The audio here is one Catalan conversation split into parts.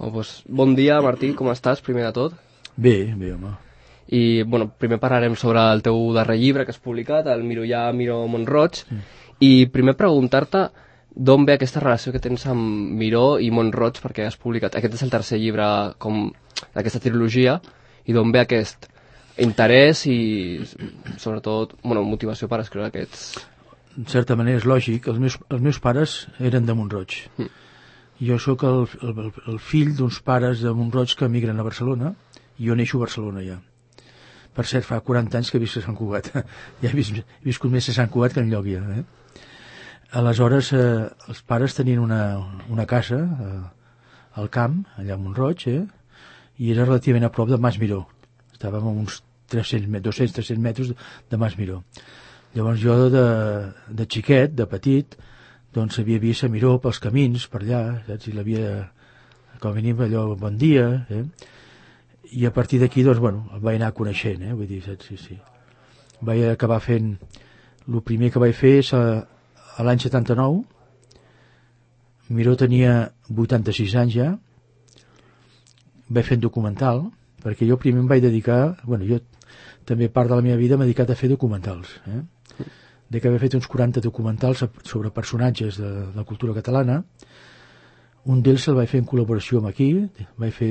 Doncs, bon dia, Martí, com estàs, primer de tot? Bé, home. I, bueno, primer parlarem sobre el teu darrer llibre que has publicat, el Miró Mont-roig, i primer preguntar-te d'on ve aquesta relació que tens amb Miró i Mont-roig, perquè has publicat, aquest és el tercer llibre d'aquesta trilogia, i d'on ve aquest interès i, sobretot, motivació per escriure aquests... En certa manera és lògic, els meus pares eren de Mont-roig. Jo sóc el fill d'uns pares de Mont-roig que emigren a Barcelona, i jo neixo a Barcelona ja. Per cert, fa 40 anys que visc a Sant Cugat. Ja he viscut més a Sant Cugat que enlloc ja. Aleshores, els pares tenien una casa al camp, allà a Mont-roig, i era relativament a prop de Mas Miró. Estàvem a uns 200-300 metres de Mas Miró. Llavors jo, de xiquet, de petit, doncs havia vist a Miró pels camins, per allà, saps? I l'havia, com a mínim, allò, bon dia, i a partir d'aquí, doncs, bueno, el vaig anar coneixent, vull dir, saps? Sí. Vaig acabar fent, el primer que vaig fer és a l'any 79, Miró tenia 86 anys ja, vaig fer un documental, perquè jo primer em vaig dedicar, bueno, jo també part de la meva vida m'he dedicat a fer documentals, de que havia fet uns 40 documentals sobre personatges de la cultura catalana. Un d'ells el vaig fer en col·laboració amb aquí, vaig fer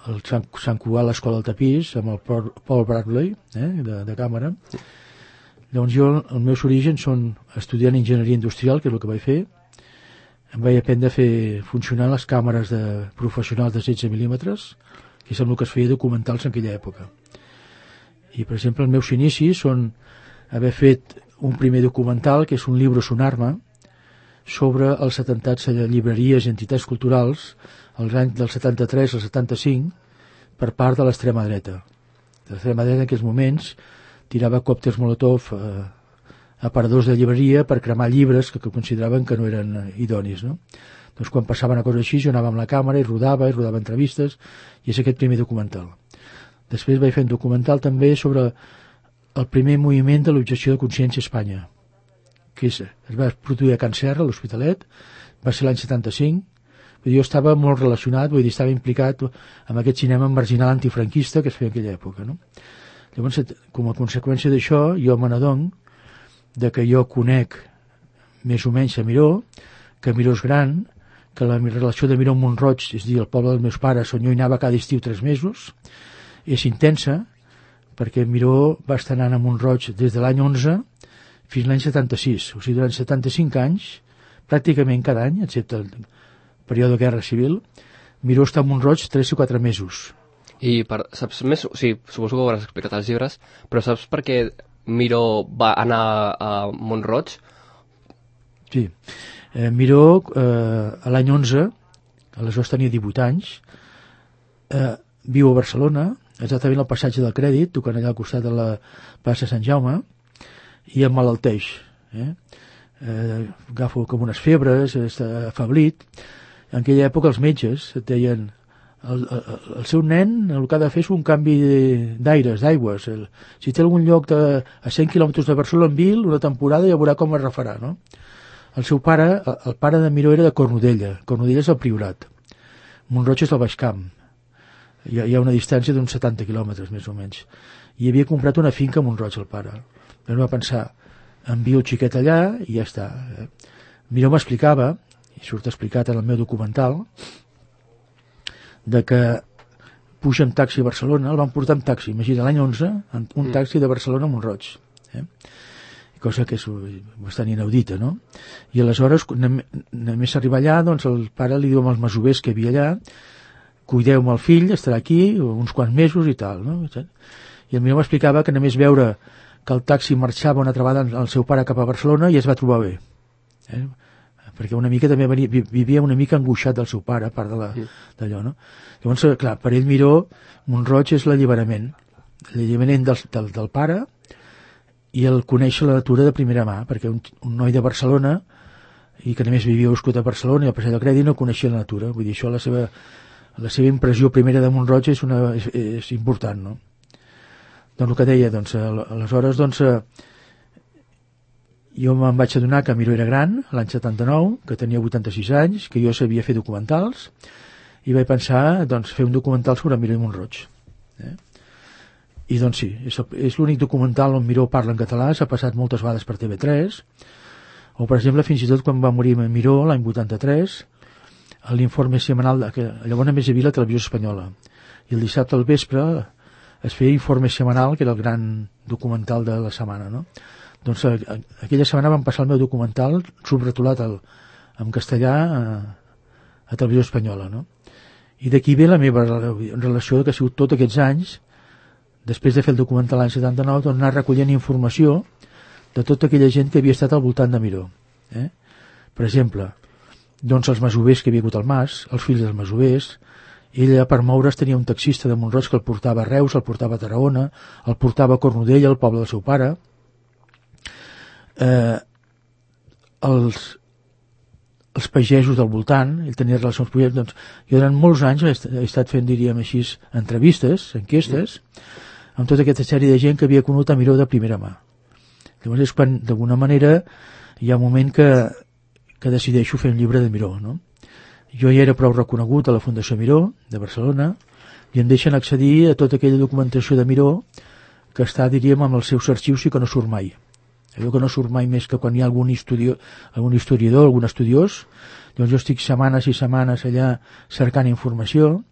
el Sant Cugat a l'Escola del Tapís amb el Paul Bradley, de càmera. Llavors jo, els meus orígens són estudiant enginyeria industrial, que és el que vaig fer. Em vaig aprendre a fer funcionar les càmeres professionals de 16 mil·límetres, que és el que es feia documentals en aquella època. I, per exemple, els meus inicis són haver fet un primer documental, que és un llibre son arma, sobre els atemptats a llibreries i entitats culturals als anys del 73 al 75 per part de l'extrema dreta. L'extrema dreta en aquells moments tirava còctels Molotov a paradors de llibreria per cremar llibres que consideraven que no eren idonis, no? Doncs quan passava una cosa així jo anava amb la càmera i rodava entrevistes, i és aquest primer documental. Després vaig fer un documental també sobre el primer moviment de l'objecció de consciència a Espanya, que es va produir a Can Serra, a l'Hospitalet, va ser l'any 75. Vull dir, jo estava molt relacionat, vull dir, estava implicat amb aquest cinema marginal antifranquista que es feia en aquella època, no? Llavors, com a conseqüència d'això, jo me n'adonc de que jo conec més o menys a Miró, que Miró és gran, que la relació de Miró amb Mont-roig, és a dir, el poble dels meus pares, on jo hi anava cada estiu 3 mesos, és intensa, perquè Miró va estar anant a Mont-roig des de l'any 11 fins l'any 76, o sigui, durant 75 anys, pràcticament cada any, excepte el període de Guerra Civil, Miró està a Mont-roig 3 o 4 mesos. I saps més? O sigui, suposo que ho hauràs explicat als llibres, però saps per què Miró va anar a Mont-roig? Sí. Miró, a l'any 11, aleshores tenia 18 anys, viu a Barcelona, exactament al passatge del Crèdit, tocant allà al costat de la plaça Sant Jaume, i emmalalteix. Agafo com unes febres, està afeblit. En aquella època els metges et deien el seu nen el que ha de fer és un canvi d'aires, d'aigües. Si té algun lloc a 100 quilòmetres de Barcelona en Vil, una temporada ja veurà com es refarà, no? El seu pare, el pare de Miró era de Cornudella. Cornudella és el Priorat. Mont-roig és el Baix Camp. Hi ha una distància d'uns 70 quilòmetres, més o menys. I havia comprat una finca a Mont-roig, el pare. Però va pensar, envio el xiquet allà i ja està. Miró m'explicava, i surt explicat en el meu documental, de que puja en taxi a Barcelona, el van portar en taxi, imagina, l'any 11, un taxi de Barcelona a Mont-roig. Cosa que és bastant inaudita, no? I aleshores, només arribar allà, doncs el pare li diu als masovers que hi havia allà, cuideu-me el fill, estarà aquí uns quants mesos i tal, no? I el Miró m'explicava que només veure que el taxi marxava una altra vegada el seu pare cap a Barcelona i es va trobar bé. Perquè una mica també vivia una mica angoixat del seu pare, a part d'allò, no? Llavors, clar, per ell Miró, Mont-roig és l'alliberament del pare i el conèixer la natura de primera mà, perquè un noi de Barcelona i que només vivia viscut a Barcelona i al Passeig del Crèdit no coneixia la natura. Vull dir, això la seva impressió primera de Mont-roig és important, no? Doncs el que deia, doncs, aleshores, doncs, jo me'n vaig adonar que Miró era gran, l'any 79, que tenia 86 anys, que jo sabia fer documentals, i vaig pensar doncs, fer un documental sobre Miró i Mont-roig. I doncs sí, és l'únic documental on Miró parla en català, s'ha passat moltes vegades per TV3, o per exemple fins i tot quan va morir Miró l'any 83, l'informe setmanal, que llavors només hi havia la televisió espanyola, i el dissabte al vespre es feia informe setmanal, que era el gran documental de la setmana, no? Doncs aquella setmana vam passar el meu documental subrotulat en castellà a televisió espanyola, no? I d'aquí ve la meva relació, que ha sigut tots aquests anys, després de fer el documental l'any 79, doncs anar recollint informació de tota aquella gent que havia estat al voltant de Miró. Per exemple, doncs els masovers que havia hagut al Mas, els fills dels masovers. Ella, per moure's, tenia un taxista de Mont-roig que el portava a Reus, el portava a Tarragona, el portava a Cornudella, el poble del seu pare. Els pagesos del voltant, ell tenia relacions amb pagesos, doncs jo durant molts anys he estat fent, diríem així, entrevistes, enquestes, amb tota aquesta sèrie de gent que havia conegut a Miró de primera mà. Llavors és quan, d'alguna manera, hi ha un moment que decideixo fer un llibre de Miró, no? Jo ja era prou reconegut a la Fundació Miró, de Barcelona, i em deixen accedir a tota aquella documentació de Miró que està, diríem, amb els seus arxius i que no surt mai. Allò que no surt mai més que quan hi ha algun historiador, algun estudiós, doncs jo estic setmanes i setmanes allà cercant informació.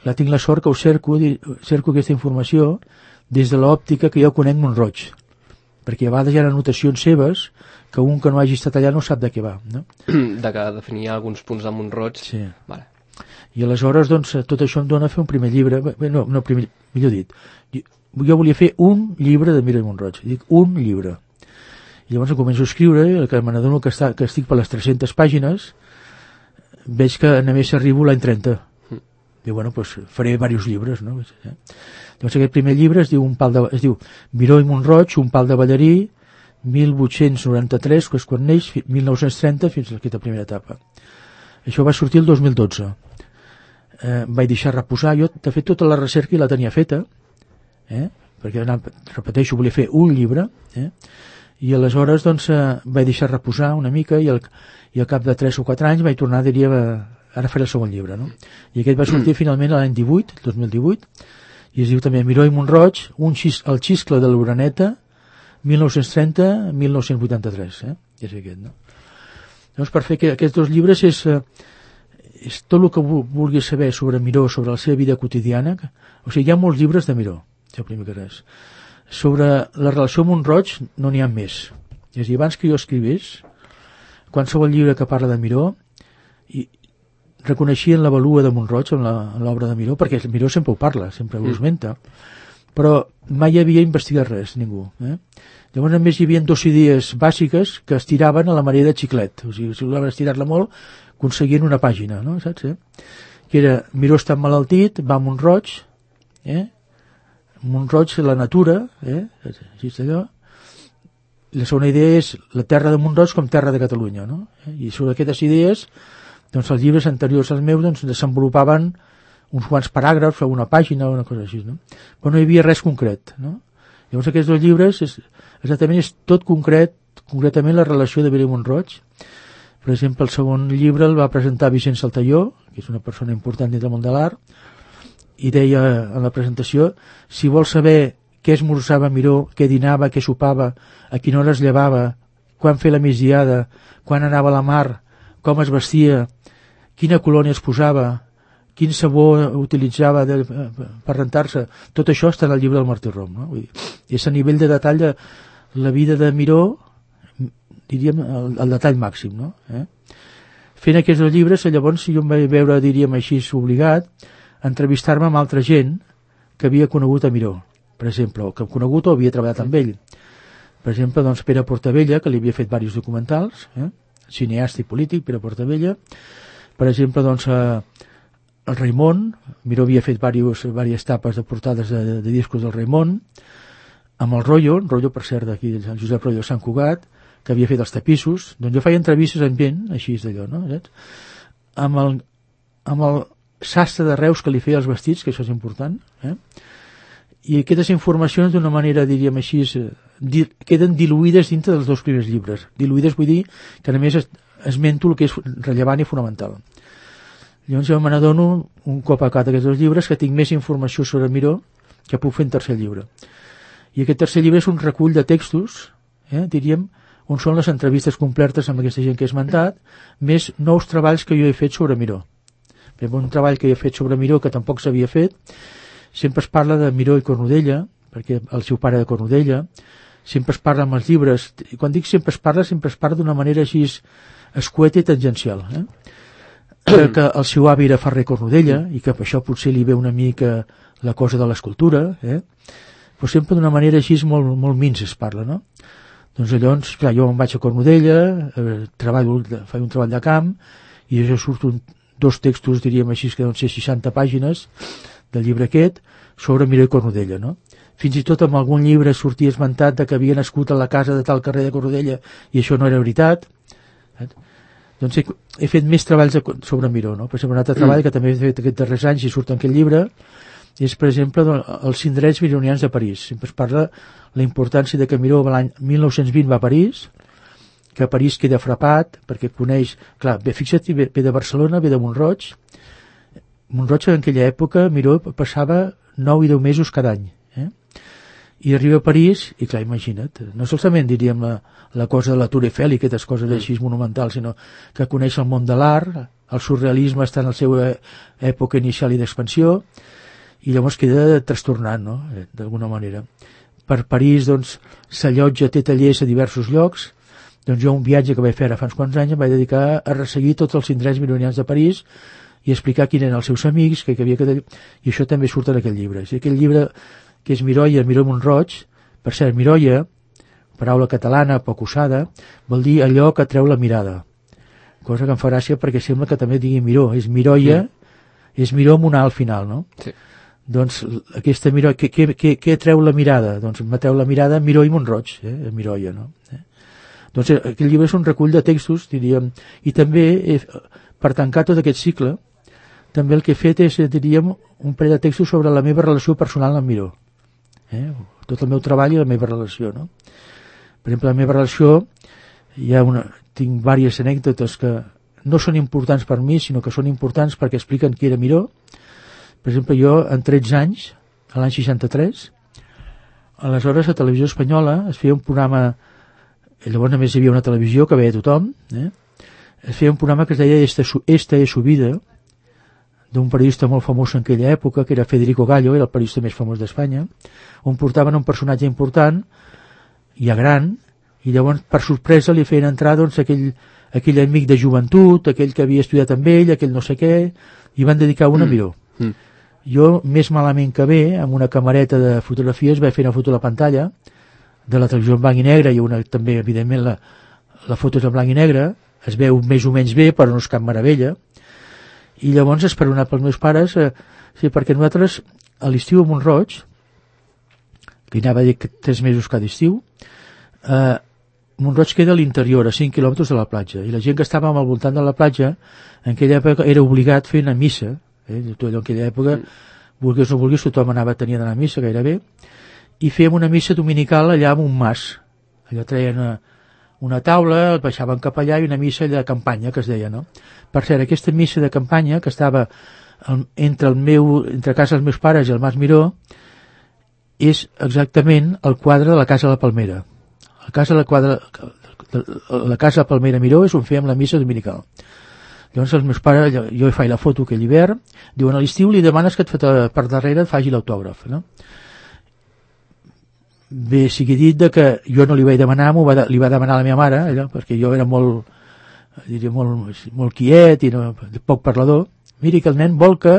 Tinc la sort que ho cerco aquesta informació des de l'òptica que jo conec Mont-roig, perquè a vegades hi ha anotacions seves que un que no hagi estat allà no sap de què va, no? De que definia alguns punts de Mont-roig. Sí. Vale. I aleshores, doncs, tot això em dona a fer un primer llibre, millor dit, jo volia fer un llibre de Miró i Mont-roig, dic un llibre. I llavors em començo a escriure, i que me n'adono que estic per les 300 pàgines, veig que només arribo l'any 30. Diu, bueno, doncs faré diversos llibres, no? Llavors aquest primer llibre es diu Miró i Mont-roig, un pal de ballarí, 1893, que és quan neix, 1930, fins a aquesta primera etapa. Això va sortir el 2012. Vaig deixar reposar. Jo, de fet, tota la recerca la tenia feta, perquè, repeteixo, volia fer un llibre, i aleshores doncs, vaig deixar reposar una mica i al cap de 3 o 4 anys vaig tornar, diria, ara faré el segon llibre, no? I aquest va sortir finalment l'any 18, el 2018, i es diu també Miró i Mont-roig, el xiscle de l'Uraneta, 1930-1983, és aquest, no? Llavors, per fer aquests dos llibres és tot el que vulguis saber sobre Miró, sobre la seva vida quotidiana. O sigui, hi ha molts llibres de Miró, això primer que res. Sobre la relació amb Mont-roig no n'hi ha més. És a dir, abans que jo escrivés, qualsevol llibre que parla de Miró, reconeixien la valua de Mont-roig en l'obra de Miró, perquè Miró sempre ho parla, sempre ho esmenta, però mai havia investigat res, ningú. Llavors només hi havia 2 idees bàsiques que es tiraven a la manera de xiclet. O sigui, si volien estirar-la molt, aconseguien una pàgina, no? Saps? Que era, Miró està emmalaltit, va a Mont-roig, Mont-roig, la natura, així és allò. La segona idea és la terra de Mont-roig com terra de Catalunya, no? I sobre aquestes idees, doncs els llibres anteriors als meus doncs, desenvolupaven uns quants paràgrafs o una pàgina o una cosa així, no? Però no hi havia res concret, no? Llavors aquests 2 llibres exactament és tot concretament la relació de Miró i Mont-roig. Per exemple, el segon llibre el va presentar Vicent Saltalló, que és una persona important dins del món de l'art, i deia en la presentació, si vols saber què esmorzava Miró, què dinava, què sopava, a quina hora es llevava, quan fer la migdiada, quan anava a la mar, com es vestia, quina colònia es posava, quin sabó utilitzava per rentar-se, tot això està en el llibre del Martí Rom, no? Vull dir, és a nivell de detall de la vida de Miró, diríem, el detall màxim, no? Fent aquests 2 llibres, llavors jo em vaig veure, diríem així, obligat a entrevistar-me amb altra gent que havia conegut a Miró, per exemple, o que hem conegut o havia treballat amb ell. Per exemple, doncs, Pere Portabella, que li havia fet diversos documentals, cineasta i polític, Pere Portabella. Per exemple, doncs, el Raimon, Miró havia fet diverses tapes de portades de discos del Raimon, amb el Rollo, per cert, d'aquí, el Josep Rollo de Sant Cugat, que havia fet els tapissos. Doncs jo feia entrevistes amb gent, així és d'allò, no? Saps? Amb el sastre de Reus que li feia els vestits, que això és important, i aquestes informacions d'una manera, diríem així, queden diluïdes dintre dels 2 primers llibres. Diluïdes vull dir que només esmento el que és rellevant i fonamental. Llavors jo me n'adono, un cop acabat aquests 2 llibres, que tinc més informació sobre Miró que puc fer en tercer llibre. I aquest tercer llibre és un recull de textos, diríem, on són les entrevistes completes amb aquesta gent que he esmentat, més nous treballs que jo he fet sobre Miró. Per exemple, un treball que he fet sobre Miró que tampoc s'havia fet, sempre es parla de Miró i Cornudella, perquè el seu pare de Cornudella, sempre es parla amb els llibres, i quan dic sempre es parla d'una manera així escueta i tangencial, que el seu avi era ferrer Cornudella, i que per això potser li ve una mica la cosa de l'escultura, però sempre d'una manera així molt, molt minsa es parla, no? Doncs llavors, clar, jo em vaig a Cornudella, faig un treball de camp, i això surten 2 textos, diríem així, que deuen ser 60 pàgines del llibre aquest, sobre Miró i Cornudella, no? Fins i tot en algun llibre sortia esmentat de que havia nascut a la casa de tal carrer de Cornudella, i això no era veritat. Doncs he fet més treballs sobre Miró, no? Per exemple, un altre treball que també he fet aquests darrers anys i surt en aquest llibre, és, per exemple, els indrets mironians de París. Sempre es parla la importància de que Miró l'any 1920 va a París, que a París queda frapat, perquè coneix... Clar, fixa't, ve de Barcelona, ve de Mont-roig. Mont-roig en aquella època, Miró passava 9 i 10 mesos cada any. I arriba a París, i clar, imagina't, no solament diríem la cosa de la Tour Eiffel i aquestes coses així monumentals, sinó que coneix el món de l'art, el surrealisme està en la seva època inicial i d'expansió, i llavors queda trastornat, no?, d'alguna manera. Per París, doncs, s'allotja, té tallers a diversos llocs. Doncs jo un viatge que vaig fer ara fa uns quants anys em vaig dedicar a resseguir tots els indrets mironians de París i explicar quins eren els seus amics, que havia quedat... I això també surt en aquell llibre. És aquell llibre que és Miroia, Miró Mont-roig. Per cert, Miroia, paraula catalana, poc usada, vol dir allò que treu la mirada. Cosa que em fa gràcia perquè sembla que també digui Miró. És Miroia, és Miró amb una A al final, no? Sí. Doncs aquesta Miró, què treu la mirada? Doncs m'atreu la mirada Miró i Mont-roig, Miroia, no? Doncs aquest llibre és un recull de textos, diríem, i també, per tancar tot aquest cicle, també el que he fet és, diríem, un parell de textos sobre la meva relació personal amb Miró. Tot el meu treball i la meva relació, no? Per exemple, la meva relació, tinc diverses anècdotes que no són importants per mi, sinó que són importants perquè expliquen qui era Miró. Per exemple, jo, en 13 anys, a l'any 63, aleshores a Televisió Espanyola es feia un programa, llavors només hi havia una televisió que veia tothom, es feia un programa que es deia Esta es su vida, d'un periodista molt famós en aquella època, que era Federico Gallo, era el periodista més famós d'Espanya, on portaven un personatge important, ja gran, i llavors, per sorpresa, li feien entrar doncs, aquell amic de joventut, aquell que havia estudiat amb ell, aquell no sé què, i van dedicar una Miró. Jo, més malament que bé, amb una camareta de fotografies, vaig fer una foto a la pantalla de la televisió en blanc i negre, i també, evidentment, la foto és en blanc i negre, es veu més o menys bé, però no és cap meravella, i llavors, esperonat pels meus pares, sí, perquè nosaltres, a l'estiu a Mont-roig, que hi anava a dir 3 mesos cada estiu, Mont-roig queda a l'interior, a 5 quilòmetres de la platja, i la gent que estàvem al voltant de la platja, en aquella època era obligat a fer una missa, en aquella època, vulguis o no vulguis, tothom tenia d'anar a missa gairebé, i fèiem una missa dominical allà en un mas. Allò treien una taula, el baixaven cap allà, i una missa de campanya, que es deia, no? Per cert, aquesta missa de campanya, que estava entre casa dels meus pares i el Mas Miró, és exactament el quadre de la Casa de la Palmera. La Casa de Palmera Miró és on fèiem la missa dominical. Llavors els meus pares, jo faig la foto aquell hivern, diuen a l'estiu li demanes que per darrere et faci l'autògraf, no? Bé, sigui dit que jo no li vaig demanar, li va demanar a la meva mare, allò, perquè jo era molt quiet i poc parlador. Miri que el nen vol que...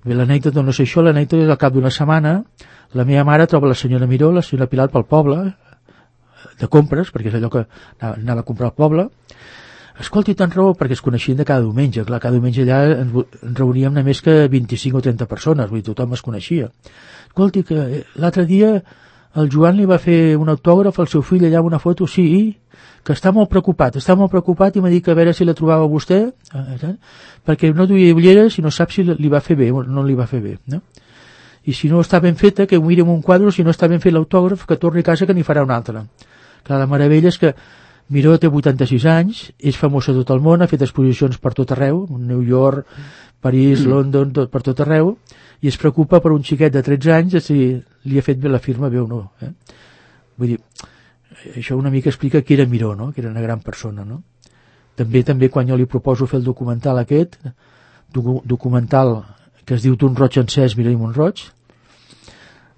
Bé, l'anècdota no sé això, l'anècdota és al cap d'una setmana, la meva mare troba la senyora Miró, la senyora Pilar pel poble, de compres, perquè és allò que anava a comprar al poble. Escolti, tant raó, perquè es coneixien de cada diumenge. Clar, cada diumenge allà ens reuníem només que 25 o 30 persones, vull dir, tothom es coneixia. Escolti, que l'altre dia el Joan li va fer un autògraf al seu fill allà amb una foto, sí, que està molt preocupat i m'ha dit que a veure si la trobava vostè, perquè no duia ulleres i no sap si li va fer bé o no li va fer bé, no? I si no està ben feta, que ho miri en un quadre, si no està ben fet l'autògraf, que torni a casa que n'hi farà un altre. Clar, la meravella és que Miró té 86 anys, és famós a tot el món, ha fet exposicions per tot arreu, New York, París, London, per tot arreu, i es preocupa per un xiquet de 13 anys de si li ha fet bé la firma bé o no. Vull dir, això una mica explica qui era Miró, no? Que era una gran persona, no? També quan jo li proposo fer el documental aquest, documental que es diu D'un roig encès, Miró i Mont-roig,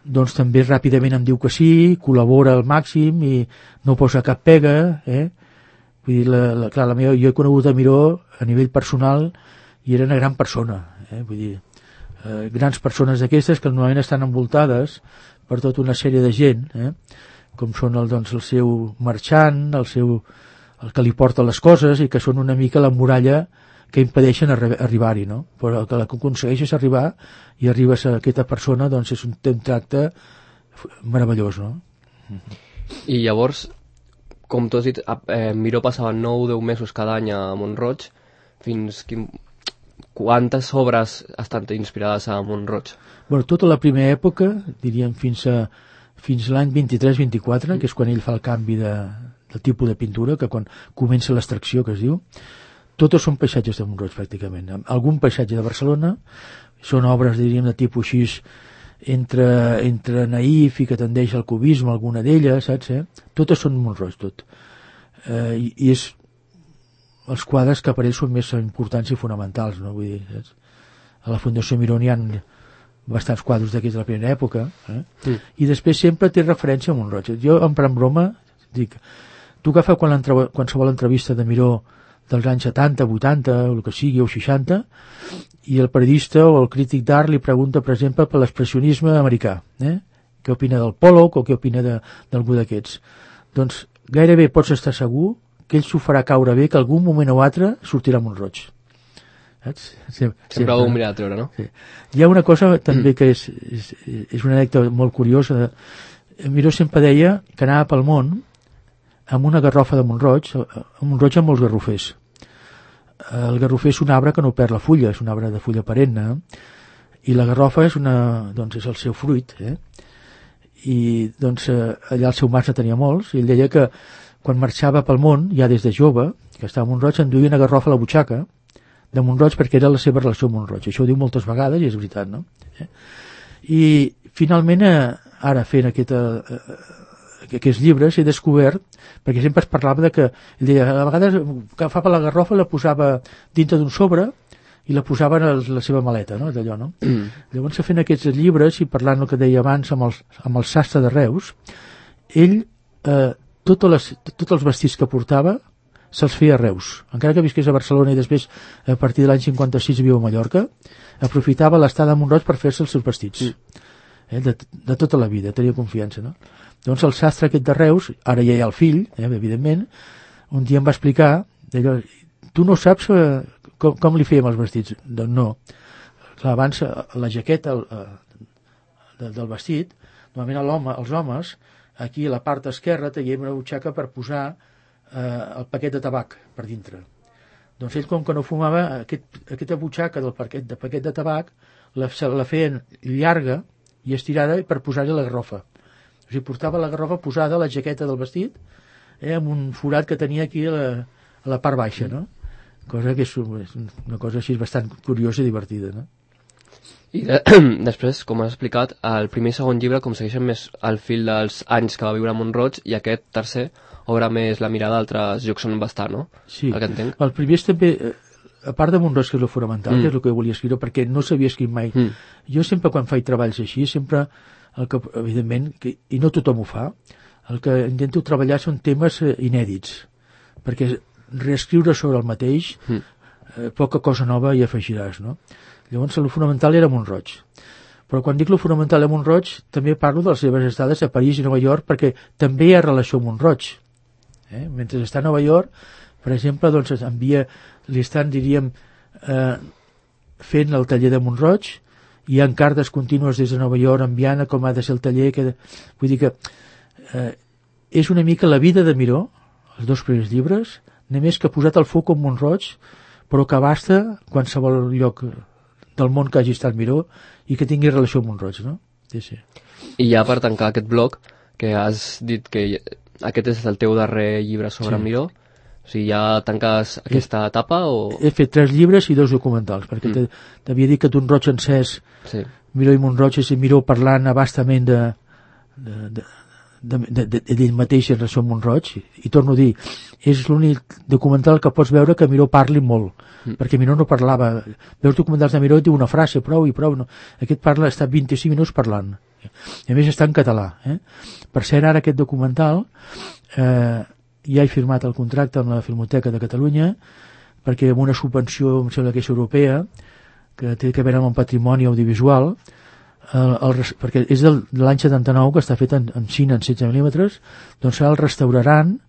doncs també ràpidament em diu que sí, col·labora al màxim i no posa cap pega, Vull dir, clar, jo he conegut a Miró a nivell personal i era una gran persona, Vull dir, grans persones d'aquestes que normalment estan envoltades per tota una sèrie de gent, com són el seu marxant, el que li porta les coses i que són una mica la muralla que impedeixen arribar-hi, no? Però el que aconsegueixes arribar i arribes a aquesta persona, doncs és un tracte meravellós, no? I llavors, com tu has dit, Miró passava 9-10 mesos cada any a Mont-roig. Quantes obres estan inspirades a Mont-roig? Bueno, tota la primera època, diríem fins l'any 23-24, que és quan ell fa el canvi del tipus de pintura, que quan comença l'extracció, que es diu, totes són paisatges de Mont-roig, pràcticament. Algun paisatge de Barcelona, són obres, diríem, de tipus així, entre naïf i que tendeix al cubisme, alguna d'elles, saps? Totes són Mont-roig, tot. I és els quadres que per ells són més importants i fonamentals, no? Vull dir, saps? A la Fundació Miró n'hi ha bastants quadres d'aquells de la primera època, i després sempre té referència a Mont-roig. Jo, en broma, dic, tu agafa qualsevol entrevista de Miró dels anys 70, 80, o el que sigui, o 60, i el periodista o el crític d'art li pregunta, per exemple, per l'expressionisme americà, què opina del Pollock o què opina d'algú d'aquests. Doncs gairebé pots estar segur que ell s'ho farà caure bé que algun moment o altre sortirà Mont-roig. Sempre ho mirar a treure, no? Sí. Hi ha una cosa també que és una anècdota molt curiosa. Miró sempre deia que anava pel món amb una garrofa de Mont-roig, amb molts garrofers. El garrofer és un arbre que no perd la fulla, és un arbre de fulla perenne, i la garrofa és és el seu fruit, i doncs allà el seu mas tenia molts, i ell deia que quan marxava pel món, ja des de jove, que estava a Mont-roig, enduia una garrofa a la butxaca de Mont-roig perquè era la seva relació amb Mont-roig. Això ho diu moltes vegades i és veritat, no? I finalment, ara fent aquests llibres he descobert, perquè sempre es parlava de que ell deia, a vegades agafava la garrofa, la posava dintre d'un sobre i la posava en la seva maleta, no? D'allò, no? Llavors, fent aquests llibres i parlant el que deia abans amb el sastre de Reus, ell tots els vestits que portava se'ls feia a Reus, encara que visqués a Barcelona i després a partir de l'any 56 viu a Mallorca, aprofitava l'estada a Mont-roig per fer-se els seus vestits, de tota la vida, tenia confiança, no? Doncs el sastre aquest de Reus, ara ja hi ha el fill, evidentment, un dia em va explicar, tu no saps com li fèiem els vestits? Doncs no. Clar, abans la jaqueta del vestit, normalment els homes, aquí a la part esquerra teníem una butxaca per posar el paquet de tabac per dintre. Doncs ell, com que no fumava, aquesta butxaca del paquet de tabac la feien llarga i estirada per posar-hi la garrofa. O sigui, portava la garrofa posada a la jaqueta del vestit, amb un forat que tenia aquí a la part baixa, no? Cosa que és una cosa així bastant curiosa i divertida, no? I després, com has explicat, el primer i segon llibre com segueixen més el fil dels anys que va viure a Mont-roig, i aquest tercer obre més la mirada a altres llocs on va estar, no? Sí, el que entenc. El primer és també, a part de Mont-roig, que és el fonamental, que és el que volia escriure, perquè no s'havia escrit mai. Jo sempre, quan faig treballs així, sempre, evidentment, i no tothom ho fa, el que intento treballar són temes inèdits, perquè reescriure sobre el mateix, poca cosa nova hi afegiràs, no? Llavors, el fonamental era Mont-roig. Però quan dic el fonamental a Mont-roig, també parlo de les seves estades a París i Nova York, perquè també hi ha relació amb Mont-roig. Mentre està a Nova York, per exemple, doncs li estan, diríem, fent el taller de Mont-roig, hi ha cartes contínues des de Nova York enviant com ha de ser el taller. Vull dir que és una mica la vida de Miró, els dos primers llibres, només que ha posat el foc en Mont-roig, però que abasta qualsevol lloc del món que hagi estat Miró i que tingui relació amb Mont-roig, no? Sí. I ja per tancar aquest bloc, que has dit que aquest és el teu darrer llibre sobre Miró? O sigui, ja tanques aquesta etapa o...? He fet 3 llibres i 2 documentals, perquè t'havia dit que d'un roig encès, Miró i Montroig, és Miró parlant abastament d'ell mateix en relació amb Montroig, i torno a dir, és l'únic documental que pots veure que Miró parli molt, perquè Miró no parlava. Veus documentals de Miró i diu una frase, prou i prou. No. Aquest parla, està 25 minuts parlant. I a més està en català. Per cert, ara aquest documental ja he firmat el contracte amb la Filmoteca de Catalunya, perquè amb una subvenció, em sembla que és europea, que té a veure amb el patrimoni audiovisual, perquè és de l'any 79, que està fet en cine en 16 mil·límetres, doncs el restauraran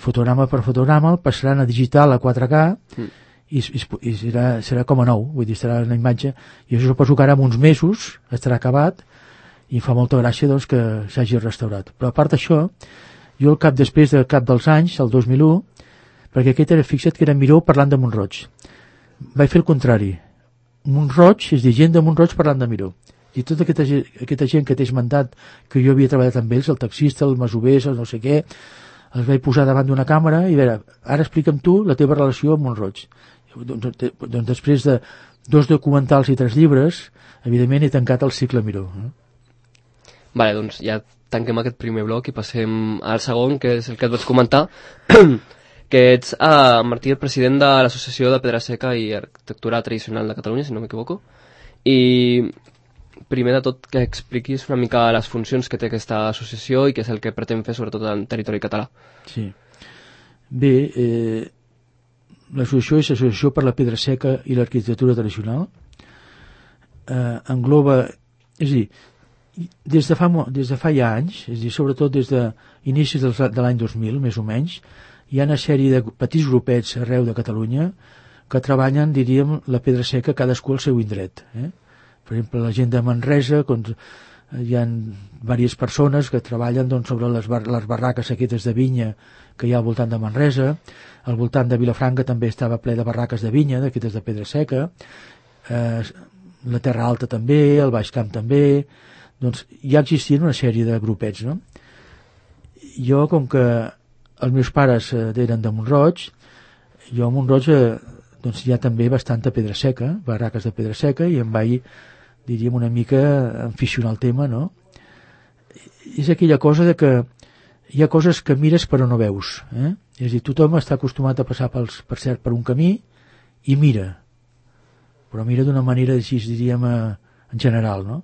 fotograma per fotograma, el passaran a digital a 4K i serà com a nou, vull dir, serà una imatge, i això suposo que ara en uns mesos estarà acabat i fa molta gràcia doncs, que s'hagi restaurat. Però a part d'això, jo després del cap dels anys, el 2001, perquè aquest era, fixa't que era Miró parlant de Montroig, vaig fer el contrari. Montroig, és dir, gent de Montroig parlant de Miró. I tota aquesta gent que t'he esmentat, que jo havia treballat amb ells, el taxista, el masovers, el no sé què, els vaig posar davant d'una càmera i a veure, ara explica'm tu la teva relació amb Montroig. Doncs després de 2 documentals i 3 llibres, evidentment he tancat el cicle Miró. Vale, doncs ja tanquem aquest primer bloc i passem al segon, que és el que et vaig comentar, que ets, Martí, el president de l'Associació de Pedra Seca i Arquitectura Tradicional de Catalunya, si no m'equivoco, i primer de tot que expliquis una mica les funcions que té aquesta associació i què és el que pretén fer sobretot en territori català. Sí. Bé, l'associació és l'Associació per la Pedra Seca i l'Arquitectura Tradicional. Engloba, és a dir, des de fa ja anys, és a dir, sobretot des d'inicis de l'any 2000, més o menys, hi ha una sèrie de petits grupets arreu de Catalunya que treballen, diríem, la pedra seca cadascú al seu indret. Per exemple, la gent de Manresa, hi ha diverses persones que treballen sobre les barraques aquestes de vinya que hi ha al voltant de Manresa. Al voltant de Vilafranca també estava ple de barraques de vinya, d'aquestes de pedra seca. La Terra Alta també, el Baix Camp també. Doncs ja existien una sèrie de grupets, no? Jo, com que els meus pares eren de Montroig, jo a Montroig doncs hi ha també bastanta pedra seca, barraques de pedra seca, i em vaig, diríem, una mica aficionar al tema, no? És aquella cosa de que hi ha coses que mires però no veus, És a dir, tothom està acostumat a passar per cert per un camí i mira, però mira d'una manera, així diríem, en general, no?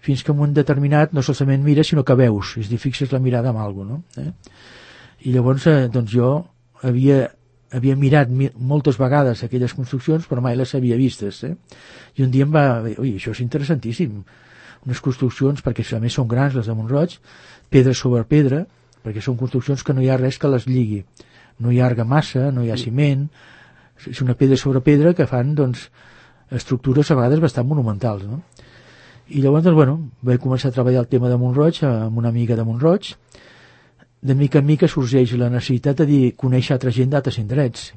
Fins que en un determinat no solament mires, sinó que veus, és a dir, fixes la mirada en alguna cosa, no? I llavors, doncs jo havia mirat moltes vegades aquelles construccions, però mai les havia vistes, I un dia em va dir, ui, això és interessantíssim, unes construccions, perquè a més són grans, les de Montroig, pedra sobre pedra, perquè són construccions que no hi ha res que les lligui, no hi ha argamassa, no hi ha ciment, és una pedra sobre pedra que fan, doncs, estructures a vegades bastant monumentals, no? I llavors, doncs, bueno, vaig començar a treballar el tema de Montroig amb una amiga de Montroig. De mica en mica sorgeix la necessitat de conèixer altra gent d'altres indrets.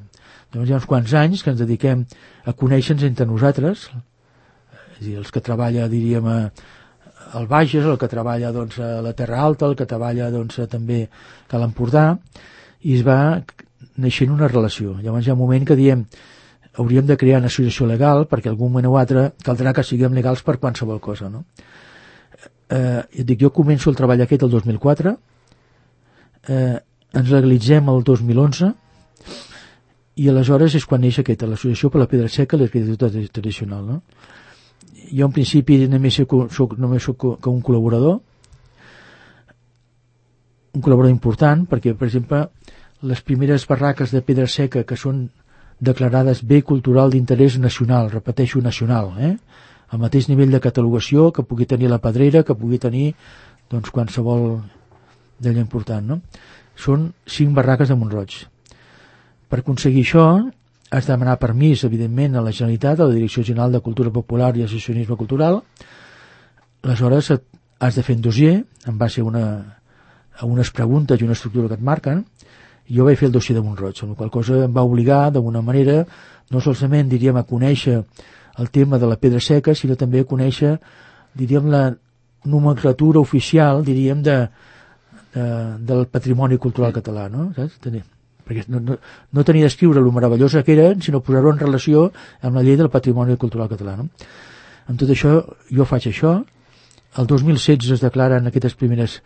Llavors hi ha uns quants anys que ens dediquem a conèixer-nos entre nosaltres, és a dir, els que treballa, diríem, al Bages, el que treballa doncs, a la Terra Alta, el que treballa doncs, també a l'Empordà, i es va naixent una relació. Llavors hi ha un moment que diem hauríem de crear una associació legal perquè algun moment o altre caldrà que siguem legals per qualsevol cosa, no? Jo començo el treball aquest el 2004, ens legalitzem el 2011 i aleshores és quan neix l'Associació per la Pedra Seca i l'Arquitectura Tradicional, no? Jo en principi només soc un col·laborador important perquè, per exemple, les primeres barraques de pedra seca que són declarades bé cultural d'interès nacional, repeteixo, nacional, al mateix nivell de catalogació que pugui tenir la Pedrera, que pugui tenir doncs, qualsevol d'allò important, no? Són 5 barraques de Montroig. Per aconseguir això has de demanar permís, evidentment, a la Generalitat, a la Direcció General de Cultura Popular i Associacionisme Cultural. Aleshores has de fer un dossier en base a unes preguntes i una estructura que et marquen. Jo vaig fer el dossier de Montroig, amb la qual cosa em va obligar d'alguna manera no solament, diríem, a conèixer el tema de la pedra seca, sinó també a conèixer, diríem, la nomenclatura oficial, diríem, del patrimoni cultural català, no? Saps? Perquè no tenia d'escriure lo meravellosa que eren, sinó posar-ho en relació amb la llei del patrimoni cultural català, no? Amb tot això, jo faig això. El 2016 es declaren les primeres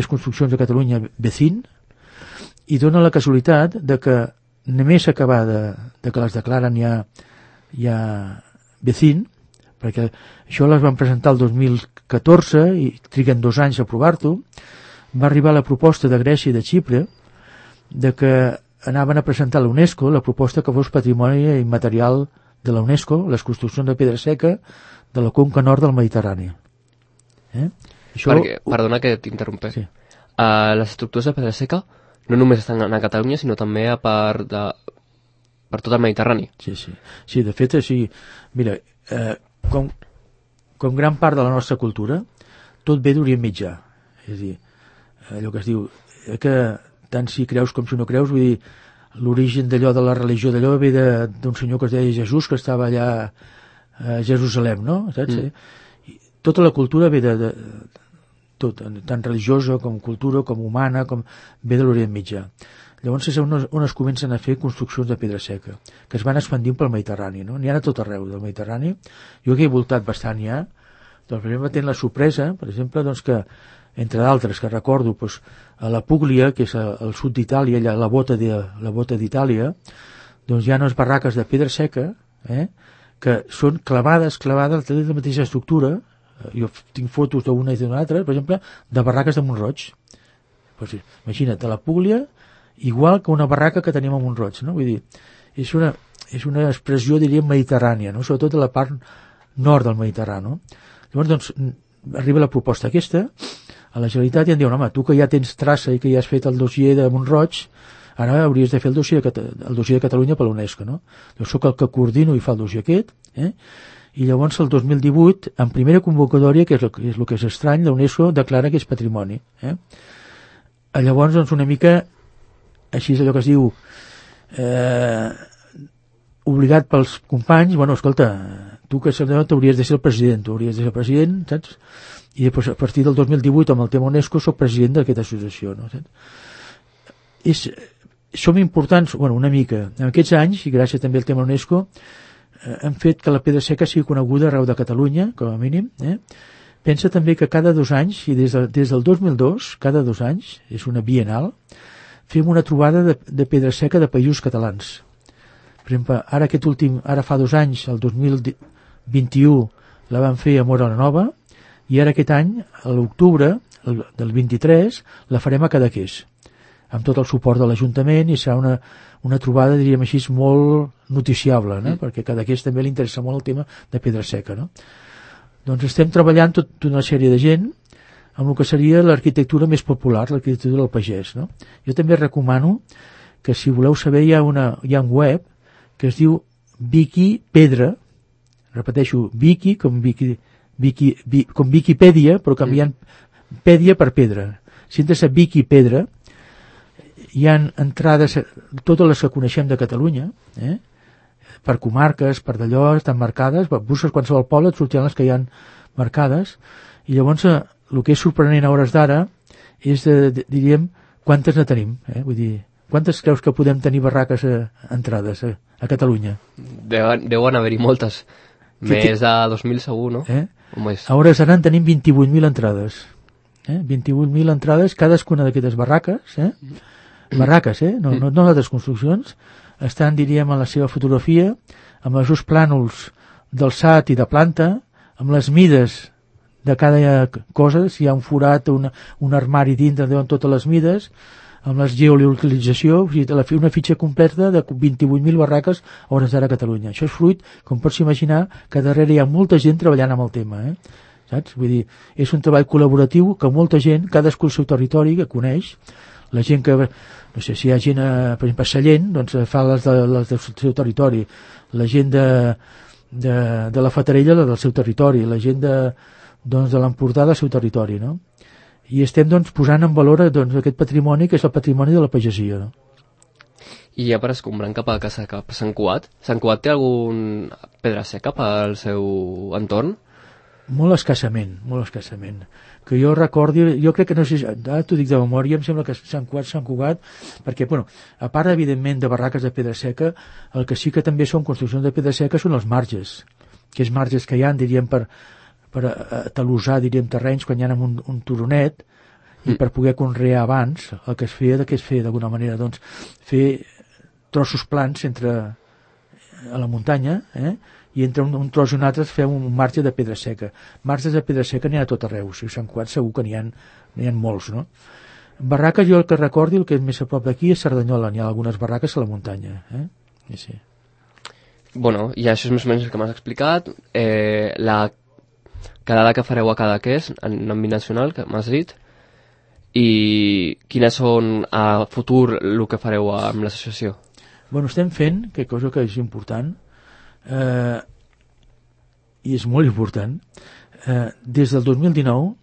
construccions de Catalunya BECIN, i dona la casualitat de que només acabar de que les declaren ja BECIN, perquè això les van presentar el 2014 i triguen 2 anys a aprovar-ho. Va arribar la proposta de Grècia i de Xipre de que anaven a presentar a l'UNESCO la proposta que fos patrimoni immaterial de la UNESCO, les construccions de pedra seca de la conca nord del Mediterrani. Això... Perdona que t'interrompé. Sí. Les estructures de pedra seca no només estan a Catalunya, sinó també per tot el Mediterrani. Sí, de fet, sí. Mira, com gran part de la nostra cultura, tot ve d'Orient Mitjà. És a dir, allò que es diu que tant si creus com si no creus, vull dir, l'origen d'allò de la religió d'allò ve d'un senyor que es deia Jesús, que estava allà a Jerusalem, no? Saps? Tota la cultura ve de tot, tant religiosa com cultura, com humana, com ve de l'Orient Mitjà. Llavors és on es comencen a fer construccions de pedra seca, que es van expandint pel Mediterrani, no? N'hi ha a tot arreu del Mediterrani. Jo que he voltat bastant ja, doncs per exemple tenc la sorpresa, per exemple, doncs que entre d'altres que recordo, doncs, a la Puglia, que és al sud d'Itàlia, allà la bota d'Itàlia, doncs hi ha unes barraques de pedra seca, que són clavades de la mateixa estructura. Jo tinc fotos d'una i d'una altra, per exemple, de barraques de Mont-roig. Pues, imagina't, a la Puglia, igual que una barraca que tenim a Mont-roig, no? Vull dir, és una expressió, diríem, mediterrània, no? Sobretot a la part nord del Mediterrani, no? Llavors, doncs, arriba la proposta aquesta, a la Generalitat i em diuen, home, tu que ja tens traça i que ja has fet el dossier de Mont-roig, ara hauries de fer el dossier de Catalunya per l'UNESCO, no? Jo soc el que coordino i fa el dossier aquest, i llavors el 2018, en primera convocatòria, que és el que és estrany, la UNESCO declara que és patrimoni. Llavors, doncs, una mica, així és allò que es diu, obligat pels companys, bueno, escolta, tu que t'hauries de ser el president, saps? I després, a partir del 2018, amb el tema UNESCO, soc president d'aquesta associació, no? Som importants, bueno, una mica. En aquests anys, i gràcies també al tema UNESCO, hem fet que la pedra seca sigui coneguda arreu de Catalunya, com a mínim. Pensa també que cada 2 anys, i des del 2002, cada 2 anys, és una bienal, fem una trobada de pedra seca de països catalans. Per exemple, ara fa 2 anys, el 2021, la vam fer a Móra la Nova, i ara aquest any, a l'octubre del 23, la farem a Cadaqués, amb tot el suport de l'Ajuntament, i serà una trobada, diríem així, molt noticiable, no? Perquè a Cadaqués també li interessa molt el tema de pedra seca, no? Doncs estem treballant tota una sèrie de gent amb el que seria l'arquitectura més popular, l'arquitectura del pagès, no? Jo també recomano que, si voleu saber, hi ha un web que es diu Wikipedra, repeteixo, Wiki com Viquipèdia, però canviant pèdia per pedra. Si entres a Wikipedra, hi ha entrades, totes les que coneixem de Catalunya, per comarques, per d'allò, estan marcades, busques qualsevol poble, et sortiran les que hi ha marcades, i llavors el que és sorprenent a hores d'ara és, diríem, quantes ne tenim, vull dir, quantes creus que podem tenir barraques entrades a Catalunya? Deuen haver-hi moltes, més de 2.000 segur, no? A hores d'ara en tenim 28.000 entrades, 28.000 entrades, cadascuna d'aquestes barraques, barraques, no altres construccions, estan, diríem, en la seva fotografia, amb els seus plànols d'alçat i de planta, amb les mides de cada cosa, si hi ha un forat o un armari dintre, deuen totes les mides, amb la geolocalització, una fitxa completa de 28.000 barraques a hores d'ara a Catalunya. Això és fruit, com pots imaginar, que darrere hi ha molta gent treballant amb el tema, saps? Vull dir, és un treball col·laboratiu que molta gent, cadascú al seu territori, que coneix, la gent que, no sé, si hi ha gent, per exemple, a Sallent, doncs fa les del seu territori, la gent de la Fatarella, la del seu territori, la gent de l'Empordà del seu territori, no? I estem, doncs, posant en valor aquest patrimoni, que és el patrimoni de la pagesia, no? I ja per escombrant cap a Sant Cugat té algun pedra seca pel seu entorn? Molt escassament, molt escassament. Que jo recordi, jo crec que no sé, t'ho dic de memòria, em sembla que Sant Cugat, perquè, bueno, a part, evidentment, de barraques de pedra seca, el que sí que també són construccions de pedra seca són els marges, que és marges que hi ha, diríem, per talosar, diríem, terrenys quan hi ha un turonet, i per poder conrear abans, el que es feia d'alguna manera, doncs, fer trossos plans a la muntanya, i entre un tros i un altre fem un marge de pedra seca. Marges de pedra seca n'hi ha a tot arreu, si Sant Cugat segur que n'hi ha molts, no? Barraques, jo el que recordi, el que és més a prop d'aquí és Cerdanyola, n'hi ha algunes barraques a la muntanya, I sí. Bueno, i això és més o menys el que m'has explicat. La quedada que fareu a Cadaqués, en àmbit nacional, que m'has dit, i quines són a futur el que fareu amb l'associació? Bueno, estem fent, que cosa que és important, i és molt important, des del 2019,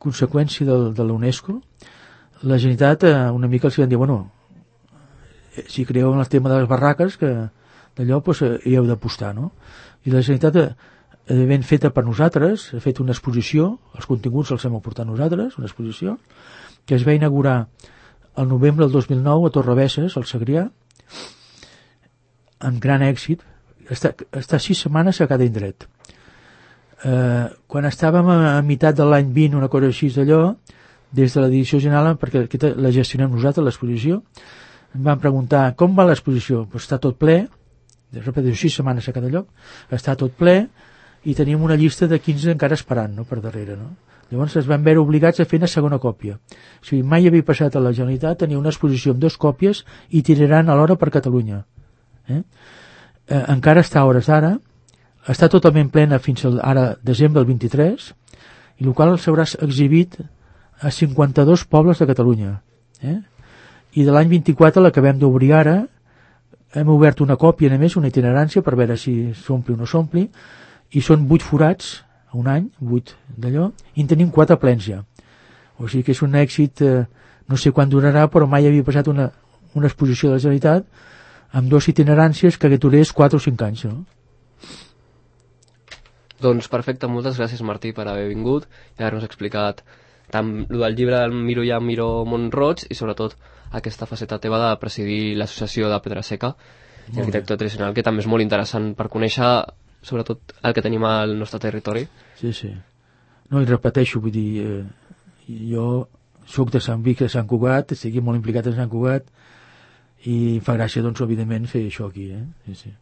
conseqüència de la UNESCO, la Generalitat una mica els van dir, bueno, si creeu en el tema de les barraques, que d'allò doncs, hi heu d'apostar, no? I la Generalitat, ben feta per nosaltres, ha fet una exposició, els continguts els hem aportat nosaltres, una exposició, que es va inaugurar el novembre del 2009 a Torrebesses, al Segrià, amb gran èxit. Està 6 setmanes a cada indret. Quan estàvem a meitat de l'any 20, una cosa així d'allò, des de la direcció general, perquè la gestionem nosaltres, l'exposició, em van preguntar com va l'exposició. Pues està tot ple, repeteixo, 6 setmanes a cada lloc, està tot ple, i tenim una llista de 15 encara esperant, no?, per darrere, no? Llavors es van veure obligats a fer una segona còpia. O sigui, mai havia passat a la Generalitat tenir una exposició amb 2 còpies i tiraran alhora per Catalunya. Encara està a hores d'ara, està totalment plena fins ara desembre del 23, i el qual s'haurà exhibit a 52 pobles de Catalunya. I de l'any 24 l'acabem d'obrir ara, hem obert una còpia només, una itinerància per veure si s'ompli o no s'ompli, i són 8 forats a un any, 8 d'allò, i en tenim 4 plens ja. O sigui que és un èxit, no sé quan durarà, però mai havia passat una exposició de la Generalitat amb 2 itineràncies que durés 4 o 5 anys, no? Doncs perfecte, moltes gràcies Martí per haver vingut i haver-nos explicat tant el del llibre del Miro ja Miro Mont-roig i sobretot aquesta faceta teva de presidir l'associació de Pedra Seca i arquitectura tradicional, que també és molt interessant per conèixer sobretot el que tenim al nostre territori. Sí, sí. No, i repeteixo, vull dir, jo soc de Sant Vic, de Sant Cugat, estic molt implicat en Sant Cugat, i em fa gràcia, doncs, evidentment, fer això aquí, Sí, sí.